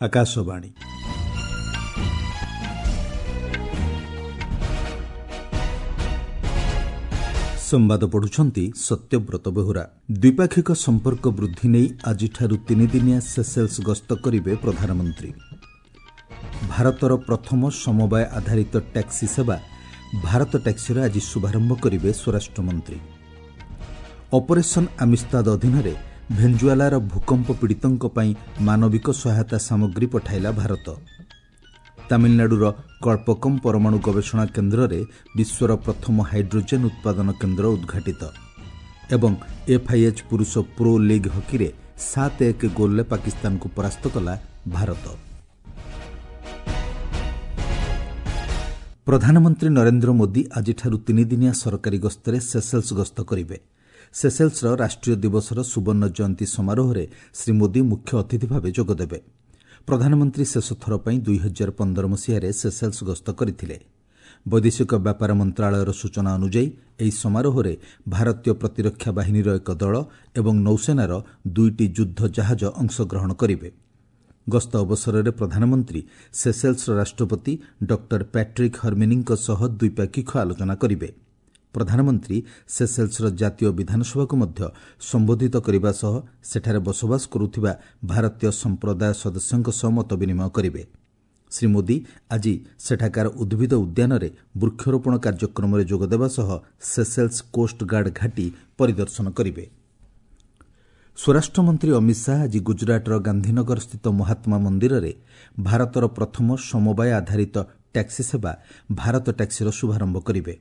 ଆକାଶବାଣୀ। ସମ୍ବାଦ ପଢୁଛନ୍ତି ସତ୍ୟବ୍ରତ ବେହୁରା। ଦ୍ୱିପାକ୍ଷିକ ସମ୍ପର୍କ ବୃଦ୍ଧି ନେଇ ଆଜିଠାରୁ ତିନିଦିନିଆ ସେସେଲ୍ସ ଗସ୍ତ କରିବେ ପ୍ରଧାନମନ୍ତ୍ରୀ। ଭାରତର ପ୍ରଥମ ସମବାୟ ଆଧାରିତ ଟ୍ୟାକ୍ସି ସେବା ଭାରତ ଟ୍ୟାକ୍ସିର ଆଜି ଶୁଭାରମ୍ଭ କରିବେ ସ୍ୱରାଷ୍ଟ୍ରମନ୍ତ୍ରୀ। ଅପରେସନ୍ ଆମିସ୍ତାଦ ଅଧୀନରେ ଭେଞ୍ଜୁଆଲାର ଭୂକମ୍ପ ପୀଡ଼ିତଙ୍କ ପାଇଁ ମାନବିକ ସହାୟତା ସାମଗ୍ରୀ ପଠାଇଲା ଭାରତ। ତାମିଲନାଡୁର କଳ୍ପକମ୍ ପରମାଣୁ ଗବେଷଣା କେନ୍ଦ୍ରରେ ବିଶ୍ୱର ପ୍ରଥମ ହାଇଡ୍ରୋଜେନ୍ ଉତ୍ପାଦନ କେନ୍ଦ୍ର ଉଦ୍ଘାଟିତ। ଏବଂ ଏଫ୍ଆଇଏଚ୍ ପୁରୁଷ ପ୍ରୋ ଲିଗ୍ ହକିରେ 7-1 ଗୋଲ୍ରେ ପାକିସ୍ତାନକୁ ପରାସ୍ତ କଲା ଭାରତ। ପ୍ରଧାନମନ୍ତ୍ରୀ ନରେନ୍ଦ୍ର ମୋଦି ଆଜିଠାରୁ ତିନିଦିନିଆ ସରକାରୀ ଗସ୍ତରେ ସେସେଲ୍ସ ଗସ୍ତ କରିବେ। ସେସେଲ୍ସର ରାଷ୍ଟ୍ରୀୟ ଦିବସର ସୁବର୍ଣ୍ଣ ଜୟନ୍ତୀ ସମାରୋହରେ ଶ୍ରୀ ମୋଦି ମୁଖ୍ୟ ଅତିଥି ଭାବେ ଯୋଗଦେବେ। ପ୍ରଧାନମନ୍ତ୍ରୀ ଶେଷଥର ପାଇଁ 2015 ମସିହାରେ ସେସେଲ୍ସ ଗସ୍ତ କରିଥିଲେ। ବୈଦେଶିକ ବ୍ୟାପାର ମନ୍ତ୍ରଣାଳୟର ସୂଚନା ଅନୁଯାୟୀ ଏହି ସମାରୋହରେ ଭାରତୀୟ ପ୍ରତିରକ୍ଷା ବାହିନୀର ଏକ ଦଳ ଏବଂ ନୌସେନାର ଦୁଇଟି ଯୁଦ୍ଧ ଜାହାଜ ଅଂଶଗ୍ରହଣ କରିବେ। ଗସ୍ତ ଅବସରରେ ପ୍ରଧାନମନ୍ତ୍ରୀ ସେସେଲ୍ସର ରାଷ୍ଟ୍ରପତି ଡକ୍ଟର ପ୍ୟାଟ୍ରିକ୍ ହର୍ମିନିଙ୍କ ସହ ଦ୍ୱିପାକ୍ଷିକ ଆଲୋଚନା କରିବେ। ପ୍ରଧାନମନ୍ତ୍ରୀ ସେସେଲ୍ସର ଜାତୀୟ ବିଧାନସଭାକୁ ମଧ୍ୟ ସମ୍ବୋଧିତ କରିବା ସହ ସେଠାରେ ବସବାସ କରୁଥିବା ଭାରତୀୟ ସମ୍ପ୍ରଦାୟ ସଦସ୍ୟଙ୍କ ସହ ମତ ବିନିମୟ କରିବେ। ଶ୍ରୀ ମୋଦି ଆଜି ସେଠାକାର ଉଦ୍ଭିଦ ଉଦ୍ୟାନରେ ବୃକ୍ଷରୋପଣ କାର୍ଯ୍ୟକ୍ରମରେ ଯୋଗଦେବା ସହ ସେସେଲ୍ସ କୋଷ୍ଟଗାର୍ଡ ଘାଟି ପରିଦର୍ଶନ କରିବେ। ସ୍ୱରାଷ୍ଟ୍ରମନ୍ତ୍ରୀ ଅମିତ ଶାହା ଆଜି ଗୁଜରାଟର ଗାନ୍ଧୀନଗରସ୍ଥିତ ମହାତ୍ମା ମନ୍ଦିରରେ ଭାରତର ପ୍ରଥମ ସମବାୟ ଆଧାରିତ ଟ୍ୟାକ୍ସି ସେବା ଭାରତ ଟ୍ୟାକ୍ସିର ଶୁଭାରମ୍ଭ କରିବେ।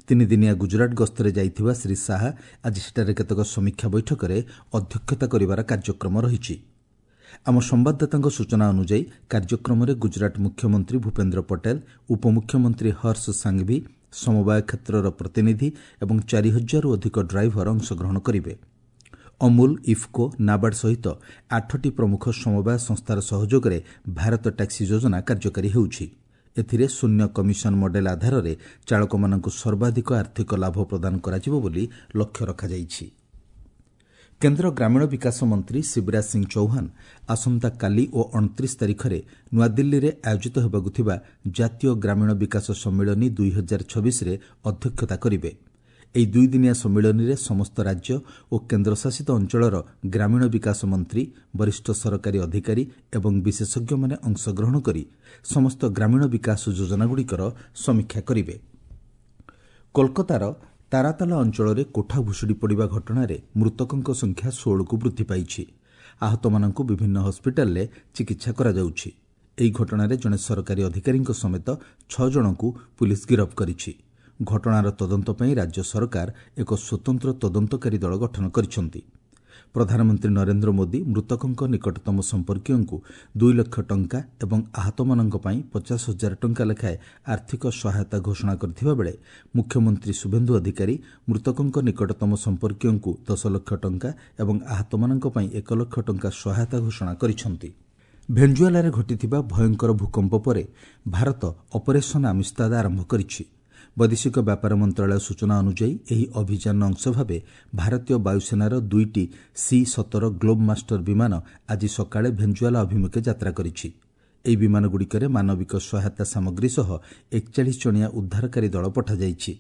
ତିନିଦିନିଆ ଗୁଜରାଟ ଗସ୍ତରେ ଯାଇଥିବା ଶ୍ରୀ ଶାହା ଆଜି ସେଠାରେ କେତେକ ସମୀକ୍ଷା ବୈଠକରେ ଅଧ୍ୟକ୍ଷତା କରିବାର କାର୍ଯ୍ୟକ୍ରମ ରହିଛି। ଆମ ସମ୍ବାଦଦାତାଙ୍କ ସୂଚନା ଅନୁଯାୟୀ କାର୍ଯ୍ୟକ୍ରମରେ ଗୁଜରାଟ ମୁଖ୍ୟମନ୍ତ୍ରୀ ଭୂପେନ୍ଦ୍ର ପଟେଲ, ଉପମୁଖ୍ୟମନ୍ତ୍ରୀ ହର୍ଷ ସାଙ୍ଘଭି, ସମବାୟ କ୍ଷେତ୍ରର ପ୍ରତିନିଧି ଏବଂ 4000ରୁ ଅଧିକ ଡ୍ରାଇଭର ଅଂଶଗ୍ରହଣ କରିବେ। ଅମୁଲ, ଇଫ୍କୋ, ନାବାର୍ଡ ସହିତ 8ଟି ପ୍ରମୁଖ ସମବାୟ ସଂସ୍ଥାର ସହଯୋଗରେ ଭାରତ ଟ୍ୟାକ୍ସି ଯୋଜନା କାର୍ଯ୍ୟକାରୀ ହେଉଛି। ଏଥିରେ ଶୂନ୍ୟ କମିଶନ ମଡେଲ ଆଧାରରେ ଚାଳକମାନଙ୍କୁ ସର୍ବାଧିକ ଆର୍ଥିକ ଲାଭ ପ୍ରଦାନ କରାଯିବ ବୋଲି ଲକ୍ଷ୍ୟ ରଖାଯାଇଛି। କେନ୍ଦ୍ର ଗ୍ରାମୀଣ ବିକାଶ ମନ୍ତ୍ରୀ ଶିବରାଜ ସିଂ ଚୌହାନ ଆସନ୍ତାକାଲି ଓ 29 ତାରିଖରେ ନୂଆଦିଲ୍ଲୀରେ ଆୟୋଜିତ ହେବାକୁ ଥିବା ଜାତୀୟ ଗ୍ରାମୀଣ ବିକାଶ ସମ୍ମିଳନୀ 2026ରେ ଅଧ୍ୟକ୍ଷତା କରିବେ। ଏହି ଦୁଇଦିନିଆ ସମ୍ମିଳନୀରେ ସମସ୍ତ ରାଜ୍ୟ ଓ କେନ୍ଦ୍ରଶାସିତ ଅଞ୍ଚଳର ଗ୍ରାମୀଣ ବିକାଶ ମନ୍ତ୍ରୀ, ବରିଷ୍ଠ ସରକାରୀ ଅଧିକାରୀ ଏବଂ ବିଶେଷଜ୍ଞମାନେ ଅଂଶଗ୍ରହଣ କରି ସମସ୍ତ ଗ୍ରାମୀଣ ବିକାଶ ଯୋଜନାଗୁଡ଼ିକର ସମୀକ୍ଷା କରିବେ। କୋଲକାତାର ତାରାତାଲା ଅଞ୍ଚଳରେ କୋଠା ଭୁଶୁଡ଼ି ପଡ଼ିବା ଘଟଣାରେ ମୃତକଙ୍କ ସଂଖ୍ୟା 16କୁ ବୃଦ୍ଧି ପାଇଛି। ଆହତମାନଙ୍କୁ ବିଭିନ୍ନ ହସ୍ପିଟାଲରେ ଚିକିତ୍ସା କରାଯାଉଛି। ଏହି ଘଟଣାରେ ଜଣେ ସରକାରୀ ଅଧିକାରୀଙ୍କ ସମେତ 6 ଜଣଙ୍କୁ ପୁଲିସ୍ ଗିରଫ କରିଛି। ଘଟଣାର ତଦନ୍ତ ପାଇଁ ରାଜ୍ୟ ସରକାର ଏକ ସ୍ୱତନ୍ତ୍ର ତଦନ୍ତକାରୀ ଦଳ ଗଠନ କରିଛନ୍ତି। ପ୍ରଧାନମନ୍ତ୍ରୀ ନରେନ୍ଦ୍ର ମୋଦି ମୃତକଙ୍କ ନିକଟତମ ସମ୍ପର୍କୀୟଙ୍କୁ 2 ଲକ୍ଷ ଟଙ୍କା ଏବଂ ଆହତମାନଙ୍କ ପାଇଁ 50,000 ଟଙ୍କା ଲେଖାଏଁ ଆର୍ଥିକ ସହାୟତା ଘୋଷଣା କରିଥିବା ବେଳେ ମୁଖ୍ୟମନ୍ତ୍ରୀ ଶୁଭେନ୍ଦୁ ଅଧିକାରୀ ମୃତକଙ୍କ ନିକଟତମ ସମ୍ପର୍କୀୟଙ୍କୁ 10 ଲକ୍ଷ ଟଙ୍କା ଏବଂ ଆହତମାନଙ୍କ ପାଇଁ 1 ଲକ୍ଷ ଟଙ୍କା ସହାୟତା ଘୋଷଣା କରିଛନ୍ତି। ଭେଞ୍ଜୁଆଲାରେ ଘଟିଥିବା ଭୟଙ୍କର ଭୂକମ୍ପ ପରେ ଭାରତ ଅପରେସନ୍ ଆମିସ୍ତାଦ ଆରମ୍ଭ କରିଛି। ବୈଦେଶିକ ବ୍ୟାପାର ମନ୍ତ୍ରଣାଳୟ ସୂଚନା ଅନୁଯାୟୀ ଏହି ଅଭିଯାନର ଅଂଶ ଭାବେ ଭାରତୀୟ ବାୟୁସେନାର ଦୁଇଟି ସି-17 ଗ୍ଲୋବ୍ ମାଷ୍ଟର ବିମାନ ଆଜି ସକାଳେ ଭେଞ୍ଜୁଆଲା ଅଭିମୁଖେ ଯାତ୍ରା କରିଛି। ଏହି ବିମାନଗୁଡ଼ିକରେ ମାନବିକ ସହାୟତା ସାମଗ୍ରୀ ସହ 41 ଜଣିଆ ଉଦ୍ଧାରକାରୀ ଦଳ ପଠାଯାଇଛି।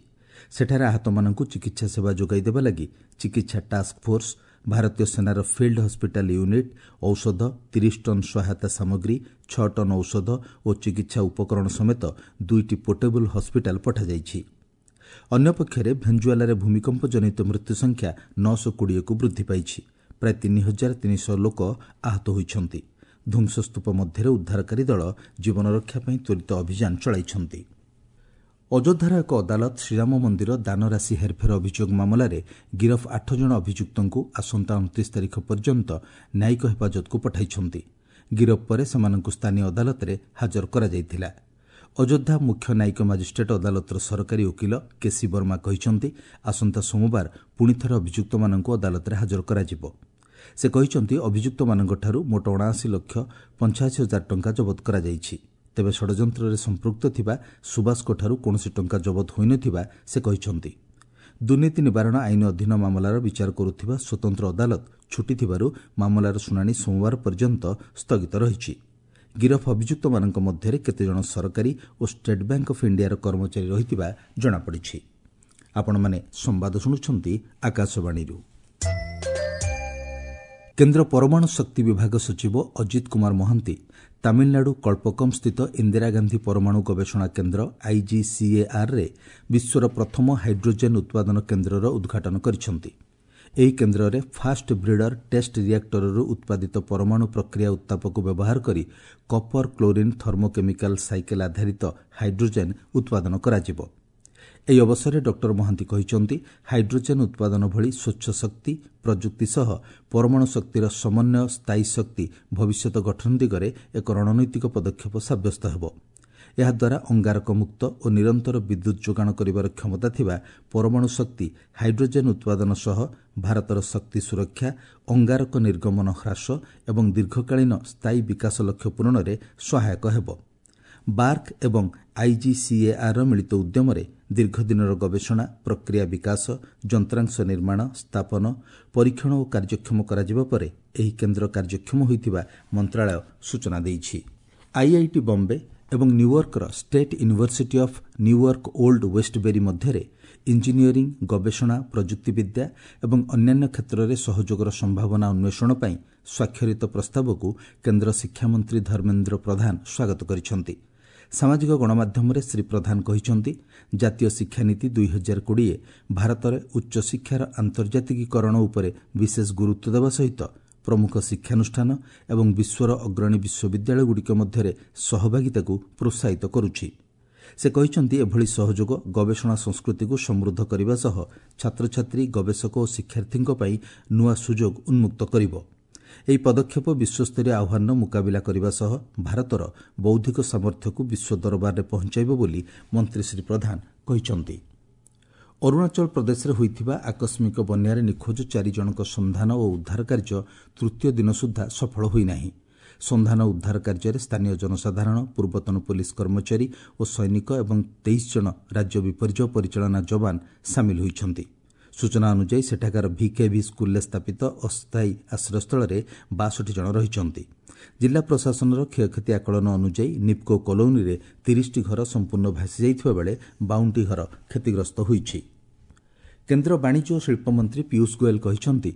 ସେଠାରେ ଆହତମାନଙ୍କୁ ଚିକିତ୍ସା ସେବା ଯୋଗାଇ ଦେବା ଲାଗି ଚିକିତ୍ସା ଟାସ୍କ ଫୋର୍ସ, ଭାରତୀୟ ସେନାର ଫିଲ୍ଡ ହସ୍ପିଟାଲ ୟୁନିଟ୍, ଔଷଧ, 30 ଟନ୍ ସହାୟତା ସାମଗ୍ରୀ, 6 ଟନ୍ ଔଷଧ ଓ ଚିକିତ୍ସା ଉପକରଣ ସମେତ ଦୁଇଟି ପୋର୍ଟେବଲ୍ ହସ୍ପିଟାଲ ପଠାଯାଇଛି। ଅନ୍ୟପକ୍ଷରେ ଭେଞ୍ଜୁଆଲାରେ ଭୂମିକମ୍ପ ଜନିତ ମୃତ୍ୟୁ ସଂଖ୍ୟା 920କୁ ବୃଦ୍ଧି ପାଇଛି। ପ୍ରାୟ 3300 ଲୋକ ଆହତ ହୋଇଛନ୍ତି। ଧ୍ୱଂସସ୍ତୂପ ମଧ୍ୟରେ ଉଦ୍ଧାରକାରୀ ଦଳ ଜୀବନ ରକ୍ଷା ପାଇଁ ତ୍ୱରିତ ଅଭିଯାନ ଚଳାଇଛନ୍ତି। ଅଯୋଧ୍ୟାର ଏକ ଅଦାଲତ ଶ୍ରୀରାମ ମନ୍ଦିର ଦାନରାଶି ହେରଫେର ଅଭିଯୋଗ ମାମଲାରେ ଗିରଫ 8 ଜଣ ଅଭିଯୁକ୍ତଙ୍କୁ ଆସନ୍ତା 29 ତାରିଖ ପର୍ଯ୍ୟନ୍ତ ନ୍ୟାୟିକ ହେଫାଜତକୁ ପଠାଇଛନ୍ତି। ଗିରଫ ପରେ ସେମାନଙ୍କୁ ସ୍ଥାନୀୟ ଅଦାଲତରେ ହାଜର କରାଯାଇଥିଲା। ଅଯୋଧ୍ୟା ମୁଖ୍ୟ ନ୍ୟାୟିକ ମାଜିଷ୍ଟ୍ରେଟ୍ ଅଦାଲତର ସରକାରୀ ଓକିଲ କେସି ବର୍ମା କହିଛନ୍ତି, ଆସନ୍ତା ସୋମବାର ପୁଣିଥରେ ଅଭିଯୁକ୍ତମାନଙ୍କୁ ଅଦାଲତରେ ହାଜର କରାଯିବ। ସେ କହିଛନ୍ତି, ଅଭିଯୁକ୍ତମାନଙ୍କଠାରୁ ମୋଟ 79,85,000 ଟଙ୍କା ଜବତ କରାଯାଇଛି। ତେବେ ଷଡ଼ଯନ୍ତ୍ରରେ ସମ୍ପୃକ୍ତ ଥିବା ସୁବାସଙ୍କଠାରୁ କୌଣସି ଟଙ୍କା ଜବତ ହୋଇନଥିବା ସେ କହିଛନ୍ତି। ଦୁର୍ନୀତି ନିବାରଣ ଆଇନ ଅଧୀନ ମାମଲାର ବିଚାର କରୁଥିବା ସ୍ୱତନ୍ତ୍ର ଅଦାଲତ ଛୁଟି ଥିବାରୁ ମାମଲାର ଶୁଣାଣି ସୋମବାର ପର୍ଯ୍ୟନ୍ତ ସ୍ଥଗିତ ରହିଛି। ଗିରଫ ଅଭିଯୁକ୍ତମାନଙ୍କ ମଧ୍ୟରେ କେତେଜଣ ସରକାରୀ ଓ ଷ୍ଟେଟ୍ ବ୍ୟାଙ୍କ ଅଫ୍ ଇଣ୍ଡିଆର କର୍ମଚାରୀ ରହିଥିବା ଜଣାପଡ଼ିଛି। ଆପଣମାନେ ସମ୍ବାଦ ଶୁଣୁଛନ୍ତି ଆକାଶବାଣୀରୁ। କେନ୍ଦ୍ର ପରମାଣୁ ଶକ୍ତି ବିଭାଗ ସଚିବ ଅଜିତ କୁମାର ମହାନ୍ତି ତାମିଲନାଡୁ କଳ୍ପକମ୍ ସ୍ଥିତ ଇନ୍ଦିରା ଗାନ୍ଧୀ ପରମାଣୁ ଗବେଷଣା କେନ୍ଦ୍ର ଆଇଜିସିଏଆର୍ରେ ବିଶ୍ୱର ପ୍ରଥମ ହାଇଡ୍ରୋଜେନ୍ ଉତ୍ପାଦନ କେନ୍ଦ୍ରର ଉଦ୍ଘାଟନ କରିଛନ୍ତି। ଏହି କେନ୍ଦ୍ରରେ ଫାଷ୍ଟ ବ୍ରିଡର ଟେଷ୍ଟ ରିଆକ୍ଟରରୁ ଉତ୍ପାଦିତ ପରମାଣୁ ପ୍ରକ୍ରିୟା ଉତ୍ତାପକୁ ବ୍ୟବହାର କରି କପର କ୍ଲୋରିନ୍ ଥର୍ମୋକେମିକାଲ ସାଇକେଲ ଆଧାରିତ ହାଇଡ୍ରୋଜେନ୍ ଉତ୍ପାଦନ କରାଯିବ। ଏହି ଅବସରରେ ଡକ୍ଟର ମହାନ୍ତି କହିଛନ୍ତି, ହାଇଡ୍ରୋଜେନ୍ ଉତ୍ପାଦନ ଭଳି ସ୍ୱଚ୍ଛ ଶକ୍ତି ପ୍ରଯୁକ୍ତି ସହ ପରମାଣୁ ଶକ୍ତିର ସମନ୍ୱୟ ସ୍ଥାୟୀ ଶକ୍ତି ଭବିଷ୍ୟତ ଗଠନ ଦିଗରେ ଏକ ରଣନୈତିକ ପଦକ୍ଷେପ ସାବ୍ୟସ୍ତ ହେବ। ଏହାଦ୍ୱାରା ଅଙ୍ଗାରକମୁକ୍ତ ଓ ନିରନ୍ତର ବିଦ୍ୟୁତ୍ ଯୋଗାଣ କରିବାର କ୍ଷମତା ଥିବା ପରମାଣୁ ଶକ୍ତି ହାଇଡ୍ରୋଜେନ୍ ଉତ୍ପାଦନ ସହ ଭାରତର ଶକ୍ତି ସୁରକ୍ଷା, ଅଙ୍ଗାରକ ନିର୍ଗମନ ହ୍ରାସ ଏବଂ ଦୀର୍ଘକାଳୀନ ସ୍ଥାୟୀ ବିକାଶ ଲକ୍ଷ୍ୟ ପୂରଣରେ ସହାୟକ ହେବ। ବାର୍କ ଏବଂ ଆଇଜିସିଏଆର୍ର ମିଳିତ ଉଦ୍ୟମରେ ଦୀର୍ଘଦିନର ଗବେଷଣା, ପ୍ରକ୍ରିୟା ବିକାଶ, ଯନ୍ତ୍ରାଂଶ ନିର୍ମାଣ, ସ୍ଥାପନ, ପରୀକ୍ଷଣ ଓ କାର୍ଯ୍ୟକ୍ଷମ କରାଯିବା ପରେ ଏହି କେନ୍ଦ୍ର କାର୍ଯ୍ୟକ୍ଷମ ହୋଇଥିବା ମନ୍ତ୍ରଣାଳୟ ସୂଚନା ଦେଇଛି। ଆଇଆଇଟି ବମ୍ବେ ଏବଂ ନ୍ୟୁୟର୍କର State University of New York Old Westbury ମଧ୍ୟରେ ଇଞ୍ଜିନିୟରିଂ, ଗବେଷଣା, ପ୍ରଯୁକ୍ତିବିଦ୍ୟା ଏବଂ ଅନ୍ୟାନ୍ୟ କ୍ଷେତ୍ରରେ ସହଯୋଗର ସମ୍ଭାବନା ଅନ୍ୱେଷଣ ପାଇଁ ସ୍ୱାକ୍ଷରିତ ପ୍ରସ୍ତାବକୁ କେନ୍ଦ୍ର ଶିକ୍ଷାମନ୍ତ୍ରୀ ଧର୍ମେନ୍ଦ୍ର ପ୍ରଧାନ ସ୍ୱାଗତ କରିଛନ୍ତି। ସାମାଜିକ ଗଣମାଧ୍ୟମରେ ଶ୍ରୀ ପ୍ରଧାନ କହିଛନ୍ତି, ଜାତୀୟ ଶିକ୍ଷାନୀତି 2020 ଭାରତରେ ଉଚ୍ଚଶିକ୍ଷାର ଆନ୍ତର୍ଜାତିକୀକରଣ ଉପରେ ବିଶେଷ ଗୁରୁତ୍ୱ ଦେବା ସହିତ ପ୍ରମୁଖ ଶିକ୍ଷାନୁଷ୍ଠାନ ଏବଂ ବିଶ୍ୱର ଅଗ୍ରଣୀ ବିଶ୍ୱବିଦ୍ୟାଳୟଗୁଡ଼ିକ ମଧ୍ୟରେ ସହଭାଗିତାକୁ ପ୍ରୋତ୍ସାହିତ କରୁଛି। ସେ କହିଛନ୍ତି, ଏଭଳି ସହଯୋଗ ଗବେଷଣା ସଂସ୍କୃତିକୁ ସମୃଦ୍ଧ କରିବା ସହ ଛାତ୍ରଛାତ୍ରୀ, ଗବେଷକ ଓ ଶିକ୍ଷାର୍ଥୀଙ୍କ ପାଇଁ ନୂଆ ସୁଯୋଗ ଉନ୍ମୁକ୍ତ କରିବ। ଏହି ପଦକ୍ଷେପ ବିଶ୍ୱସ୍ତରୀୟ ଆହ୍ୱାନର ମୁକାବିଲା କରିବା ସହ ଭାରତର ବୌଦ୍ଧିକ ସାମର୍ଥ୍ୟକୁ ବିଶ୍ୱ ଦରବାରରେ ପହଞ୍ଚାଇବ ବୋଲି ମନ୍ତ୍ରୀ ଶ୍ରୀ ପ୍ରଧାନ କହିଛନ୍ତି। ଅରୁଣାଚଳ ପ୍ରଦେଶରେ ହୋଇଥିବା ଆକସ୍ମିକ ବନ୍ୟାରେ ନିଖୋଜ 4 ଜଣଙ୍କ ସନ୍ଧାନ ଓ ଉଦ୍ଧାର କାର୍ଯ୍ୟ ତୃତୀୟ ଦିନ ସୁଦ୍ଧା ସଫଳ ହୋଇନାହିଁ। ସନ୍ଧାନ ଉଦ୍ଧାର କାର୍ଯ୍ୟରେ ସ୍ଥାନୀୟ ଜନସାଧାରଣ, ପୂର୍ବତନ ପୋଲିସ କର୍ମଚାରୀ ଓ ସୈନିକ ଏବଂ 23 ଜଣ ରାଜ୍ୟ ବିପର୍ଯ୍ୟୟ ପରିଚାଳନା ଯବାନ ସାମିଲ ହୋଇଛନ୍ତି। ସୂଚନା ଅନୁଯାୟୀ ସେଠାକାର ଭିକେଭି ସ୍କୁଲରେ ସ୍ଥାପିତ ଅସ୍ଥାୟୀ ଆଶ୍ରୟସ୍ଥଳରେ 62 ଜଣ ରହିଛନ୍ତି। ଜିଲ୍ଲା ପ୍ରଶାସନର କ୍ଷୟକ୍ଷତି ଆକଳନ ଅନୁଯାୟୀ ନିପ୍କୋ କଲୋନୀରେ 30ଟି ଘର ସମ୍ପୂର୍ଣ୍ଣ ଭାସିଯାଇଥିବା ବେଳେ 52ଟି ଘର କ୍ଷତିଗ୍ରସ୍ତ ହୋଇଛି। କେନ୍ଦ୍ର ବାଣିଜ୍ୟ ଓ ଶିଳ୍ପମନ୍ତ୍ରୀ ପୀୟୁଷ ଗୋଏଲ କହିଛନ୍ତି,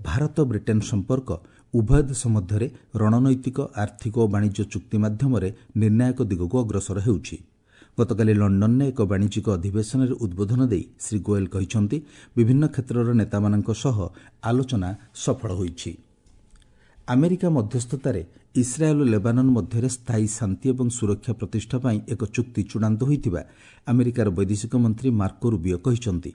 ଭାରତ ବ୍ରିଟେନ୍ ସମ୍ପର୍କ ଉଭୟ ଦେଶ ମଧ୍ୟରେ ରଣନୈତିକ, ଆର୍ଥିକ ଓ ବାଣିଜ୍ୟ ଚୁକ୍ତି ମାଧ୍ୟମରେ ନିର୍ଣ୍ଣାୟକ ଦିଗକୁ ଅଗ୍ରସର ହେଉଛି। ଗତକାଲି ଲଣ୍ଡନରେ ଏକ ବାଣିଜ୍ୟିକ ଅଧିବେଶନରେ ଉଦ୍ବୋଧନ ଦେଇ ଶ୍ରୀ ଗୋଏଲ କହିଛନ୍ତି, ବିଭିନ୍ନ କ୍ଷେତ୍ରର ନେତାମାନଙ୍କ ସହ ଆଲୋଚନା ସଫଳ ହୋଇଛି। ଆମେରିକା ମଧ୍ୟସ୍ଥତାରେ ଇସ୍ରାଏଲ୍ ଓ ଲେବାନନ୍ ମଧ୍ୟରେ ସ୍ଥାୟୀ ଶାନ୍ତି ଏବଂ ସୁରକ୍ଷା ପ୍ରତିଷ୍ଠା ପାଇଁ ଏକ ଚୁକ୍ତି ଚୂଡ଼ାନ୍ତ ହୋଇଥିବା ଆମେରିକାର ବୈଦେଶିକ ମନ୍ତ୍ରୀ ମାର୍କୋ ରୁବିଓ କହିଛନ୍ତି।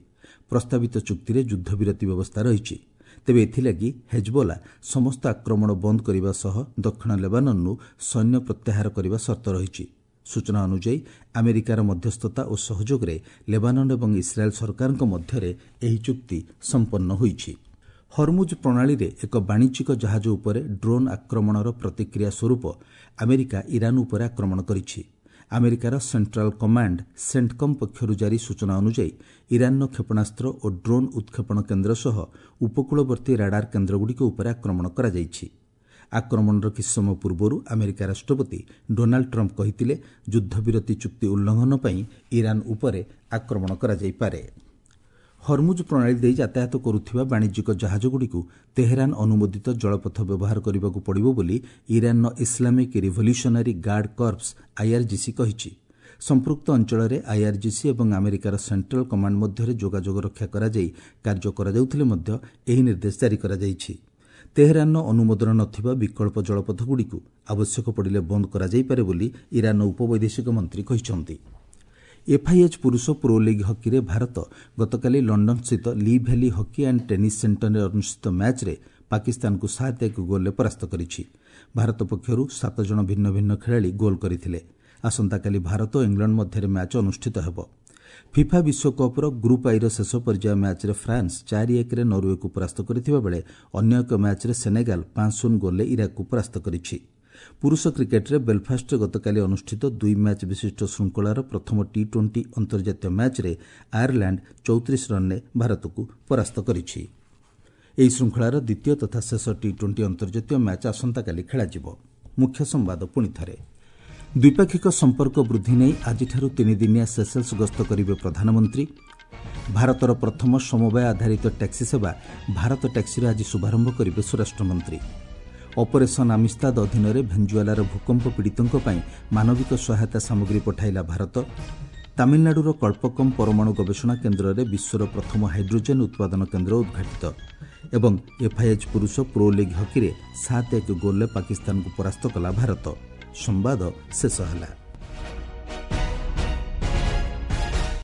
ପ୍ରସ୍ତାବିତ ଚୁକ୍ତିରେ ଯୁଦ୍ଧବିରତି ବ୍ୟବସ୍ଥା ରହିଛି। ତେବେ ଏଥିଲାଗି ହେଜବୋଲା ସମସ୍ତ ଆକ୍ରମଣ ବନ୍ଦ କରିବା ସହ ଦକ୍ଷିଣ ଲେବାନନ୍ରୁ ସୈନ୍ୟ ପ୍ରତ୍ୟାହାର କରିବା ସର୍ତ୍ତ ରହିଛି। ସୂଚନା ଅନୁଯାୟୀ ଆମେରିକାର ମଧ୍ୟସ୍ଥତା ଓ ସହଯୋଗରେ ଲେବାନନ୍ ଏବଂ ଇସ୍ରାଏଲ୍ ସରକାରଙ୍କ ମଧ୍ୟରେ ଏହି ଚୁକ୍ତି ସମ୍ପନ୍ନ ହୋଇଛି। ହରମୁଜ ପ୍ରଣାଳୀରେ ଏକ ବାଣିଜ୍ୟିକ ଜାହାଜ ଉପରେ ଡ୍ରୋନ୍ ଆକ୍ରମଣର ପ୍ରତିକ୍ରିୟା ସ୍ୱରୂପ ଆମେରିକା ଇରାନ୍ ଉପରେ ଆକ୍ରମଣ କରିଛି। ଆମେରିକାର ସେଣ୍ଟ୍ରାଲ କମାଣ୍ଡ ସେଣ୍ଟକମ୍ ପକ୍ଷରୁ ଜାରି ସୂଚନା ଅନୁଯାୟୀ ଇରାନ୍ର କ୍ଷେପଣାସ୍ତ୍ର ଓ ଡ୍ରୋନ୍ ଉତ୍କ୍ଷେପଣ କେନ୍ଦ୍ର ସହ ଉପକୂଳବର୍ତ୍ତୀ ରାଡାର କେନ୍ଦ୍ରଗୁଡ଼ିକ ଉପରେ ଆକ୍ରମଣ କରାଯାଇଛି। ଆକ୍ରମଣର କିଛି ସମୟ ପୂର୍ବରୁ ଆମେରିକା ରାଷ୍ଟ୍ରପତି ଡୋନାଲ୍ଡ ଟ୍ରମ୍ପ କହିଥିଲେ, ଯୁଦ୍ଧବିରତି ଚୁକ୍ତି ଉଲ୍ଲଂଘନ ପାଇଁ ଇରାନ୍ ଉପରେ ଆକ୍ରମଣ କରାଯାଇପାରେ। ହରମୁଜ ପ୍ରଣାଳୀ ଦେଇ ଯାତାୟାତ କରୁଥିବା ବାଣିଜ୍ୟିକ ଜାହାଜଗୁଡ଼ିକୁ ତେହେରାନ ଅନୁମୋଦିତ ଜଳପଥ ବ୍ୟବହାର କରିବାକୁ ପଡ଼ିବ ବୋଲି ଇରାନ୍ର Islamic Revolutionary Guard Corps IRGC କହିଛି। ସମ୍ପୃକ୍ତ ଅଞ୍ଚଳରେ ଆଇଆର୍ଜିସି ଏବଂ ଆମେରିକାର ସେଣ୍ଟ୍ରାଲ କମାଣ୍ଡ ମଧ୍ୟରେ ଯୋଗାଯୋଗ ରକ୍ଷା କରାଯାଇ କାର୍ଯ୍ୟ କରାଯାଉଥିଲେ ମଧ୍ୟ ଏହି ନିର୍ଦ୍ଦେଶ ଜାରି କରାଯାଇଛି। ତେହେରାନର ଅନୁମୋଦନ ନଥିବା ବିକଳ୍ପ ଜଳପଥଗୁଡ଼ିକୁ ଆବଶ୍ୟକ ପଡ଼ିଲେ ବନ୍ଦ କରାଯାଇପାରେ ବୋଲି ଇରାନ୍ର ଉପବୈଦେଶିକ ମନ୍ତ୍ରୀ କହିଛନ୍ତି। ଏଫ୍ଆଇଏଚ୍ ପୁରୁଷ ପ୍ରୋ ଲିଗ୍ ହକିରେ ଭାରତ ଗତକାଲି ଲଣ୍ଡନସ୍ଥିତ Lee Valley Hockey and Tennis ସେଣ୍ଟରରେ ଅନୁଷ୍ଠିତ ମ୍ୟାଚ୍ରେ ପାକିସ୍ତାନକୁ 7-1 ଗୋଲ୍ରେ ପରାସ୍ତ କରିଛି। ଭାରତ ପକ୍ଷରୁ 7 ଜଣ ଭିନ୍ନ ଭିନ୍ନ ଖେଳାଳି ଗୋଲ୍ କରିଥିଲେ। ଆସନ୍ତାକାଲି ଭାରତ ଓ ଇଂଲଣ୍ଡ ମଧ୍ୟରେ ମ୍ୟାଚ୍ ଅନୁଷ୍ଠିତ ହେବ। ଫିଫା ବିଶ୍ୱକପ୍ର ଗ୍ରୁପ୍ ଆଇର ଶେଷ ପର୍ଯ୍ୟାୟ ମ୍ୟାଚ୍ରେ ଫ୍ରାନ୍ସ 4-1ରେ ନରୱେକୁ ପରାସ୍ତ କରିଥିବା ବେଳେ ଅନ୍ୟ ଏକ ମ୍ୟାଚ୍ରେ ସେନେଗାଲ 5-0 ଗୋଲ୍ରେ ଇରାକକୁ ପରାସ୍ତ କରିଛି। ପୁରୁଷ କ୍ରିକେଟ୍ରେ ବେଲଫାଷ୍ଟରେ ଗତକାଲି ଅନୁଷ୍ଠିତ 2 ମ୍ୟାଚ୍ ବିଶିଷ୍ଟ ଶୃଙ୍ଖଳାର ପ୍ରଥମ ଟି-20 ଅନ୍ତର୍ଜାତୀୟ ମ୍ୟାଚ୍ରେ ଆୟାରଲାଣ୍ଡ 34 ରନ୍ରେ ଭାରତକୁ ପରାସ୍ତ କରିଛି। ଏହି ଶୃଙ୍ଖଳାର ଦ୍ୱିତୀୟ ତଥା ଶେଷ ଟି-20 ଅନ୍ତର୍ଜାତୀୟ ମ୍ୟାଚ୍ ଆସନ୍ତାକାଲି ଖେଳାଯିବ। ମୁଖ୍ୟ ସମ୍ବାଦ ପୁଣି ଥରେ। ଦ୍ୱିପାକ୍ଷିକ ସମ୍ପର୍କ ବୃଦ୍ଧି ନେଇ ଆଜିଠାରୁ 3 ଦିନିଆ ସେସେଲ୍ସ ଗସ୍ତ କରିବେ ପ୍ରଧାନମନ୍ତ୍ରୀ। ଭାରତର ପ୍ରଥମ ସମବାୟ ଆଧାରିତ ଟ୍ୟାକ୍ସି ସେବା ଭାରତ ଟ୍ୟାକ୍ସିର ଆଜି ଶୁଭାରମ୍ଭ କରିବେ ସ୍ୱରାଷ୍ଟ୍ରମନ୍ତ୍ରୀ। ଅପରେସନ୍ ଆମିସ୍ତାଦ ଅଧୀନରେ ଭେଞ୍ଜୁଏଲାର ଭୂକମ୍ପ ପୀଡ଼ିତଙ୍କ ପାଇଁ ମାନବିକ ସହାୟତା ସାମଗ୍ରୀ ପଠାଇଲା ଭାରତ। ତାମିଲନାଡୁର କଳ୍ପକମ୍ ପରମାଣୁ ଗବେଷଣା କେନ୍ଦ୍ରରେ ବିଶ୍ୱର ପ୍ରଥମ ହାଇଡ୍ରୋଜେନ୍ ଉତ୍ପାଦନ କେନ୍ଦ୍ର ଉଦ୍ଘାଟିତ। ଏବଂ ଏଫ୍ଆଇଏଚ୍ ପୁରୁଷ ପ୍ରୋ ଲିଗ୍ ହକିରେ 7-1 ଗୋଲ୍ରେ ପାକିସ୍ତାନକୁ ପରାସ୍ତ କଲା ଭାରତ। ସମ୍ବାଦ ଶେଷ ହେଲା।